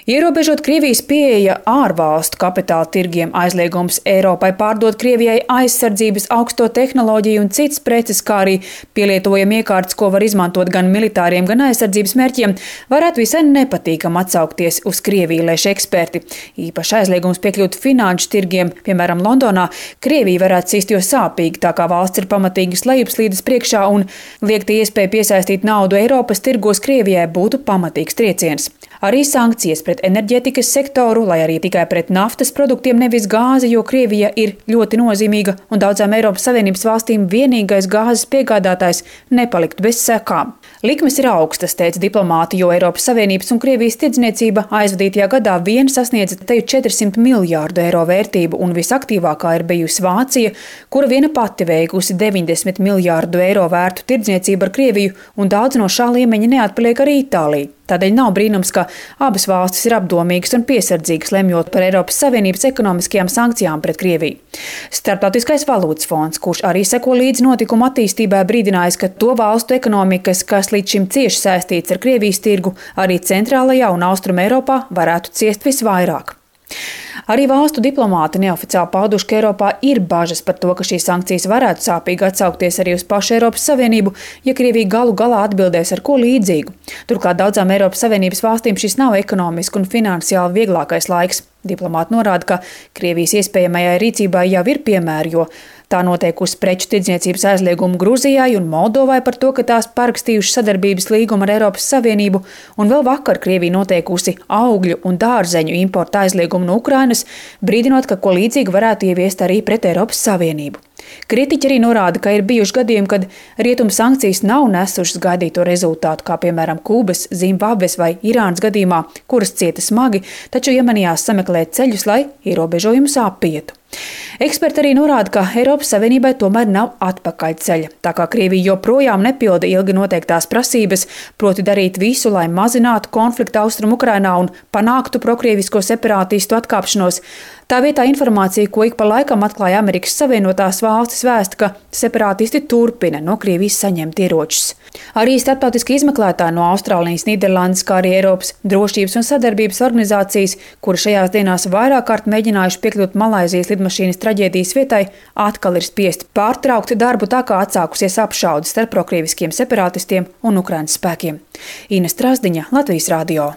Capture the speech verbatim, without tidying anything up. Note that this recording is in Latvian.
Ierobežot Krievijas pieeja ārvalstu kapitāla tirgiem, aizliegums Eiropai pārdot Krievijai aizsardzības, augsto tehnoloģiju un citas preces, kā arī pielietojami iekārtas, ko var izmantot gan militāriem, gan aizsardzības mērķiem, varētu visai nepatīkam atsaukties uz Krieviju, lēš eksperti. Īpaši aizliegums piekļūt finanšu tirgiem, piemēram, Londonā, Krievija varētu sist jo sāpīgi, tā kā valsts ir pamatīgas lejupslīdes priekšā un liekta iespēja piesaistīt naudu Eiropas tirgos Krievijai būtu pamatīgs trieciens. Arī sankcijas pret enerģētikas sektoru, lai arī tikai pret naftas produktiem, nevis gāzi, jo Krievija ir ļoti nozīmīga un daudzām Eiropas Savienības valstīm vienīgais gāzes piegādātājs, nepalikt bez sekām. Likmes ir augstas, teica diplomāti, jo Eiropas Savienības un Krievijas tirdzniecība aizvadītajā gadā vien sasniedza teju četrsima miljārdu eiro vērtību, un visaktīvākā ir bijusi Vācija, kura viena pati veikusi deviņdesmit miljārdu eiro vērtu tirdzniecību ar Krieviju, un daudz no šā līmeņa neatpaliek arī Itālija. Tādēļ nav brīnums, ka abas valstis ir apdomīgas un piesardzīgas, lemjot par Eiropas Savienības ekonomiskajām sankcijām pret Krieviju. Starptautiskais valūtas fonds, kurš arī seko līdz notikumu attīstībai, brīdinājis, ka to valstu ekonomikas, kas līdz šim cieši saistīts ar Krievijas tirgu, arī centrālajā un austrum Eiropā varētu ciest visvairāk. Arī valstu diplomāti neoficiāli pauduši, ka Eiropā ir bažas par to, ka šīs sankcijas varētu sāpīgi atsaukties arī uz pašu Eiropas Savienību, ja Krievija galu galā atbildēs ar ko līdzīgu. Turklāt daudzām Eiropas Savienības valstīm šis nav ekonomiski un finansiāli vieglākais laiks. Diplomāti norāda, ka Krievijas iespējamajai rīcībai jau ir piemēri, jo tā noteikusi preču tirdzniecības aizliegumu Gruzijai un Moldovai par to, ka tās parakstījuši sadarbības līgumu ar Eiropas Savienību, un vēl vakar Krievija noteikusi augļu un dārzeņu importa aizliegumu no Ukrainas, brīdinot, ka ko līdzīgi varētu ieviest arī pret Eiropas Savienību. Kritiķi arī norāda, ka ir bijuši gadījumi, kad rietumu sankcijas nav nesušas gaidīto rezultātu, kā piemēram Kubas, Zimbabves vai Irānas gadījumā, kuras cieta smagi, taču iemanījās sameklēt ceļus, lai ierobežojumus apietu. Eksperti arī norāda, ka Eiropas Savienībai tomēr nav atpakaļceļa, tā kā Krievija joprojām nepilda ilgi noteiktās prasības, proti darīt visu, lai mazinātu konfliktu austrumu Ukrainā un panāktu prokrievisko separātistu atkāpšanos. Tā vietā informācija, ko ik pa laikam atklāja Amerikas Savienotās valstis, vēsta, ka separātisti turpina no Krievijas saņemt ieročus. Arī starptautiski izmeklētāji no Austrālijas, Nīderlandes, kā arī Eiropas drošības un sadarbības organizācijas, kuri šajās dienās vairāk kārt mēģinājuši piekļūt Malaizijas lidmašīnas traģēdijas vietai, atkal ir spiesti pārtraukt darbu, tā kā atsākusies apšaude starp prokrieviskiem separātistiem un Ukrainas spēkiem. Ina Strasdiņa, Latvijas radio.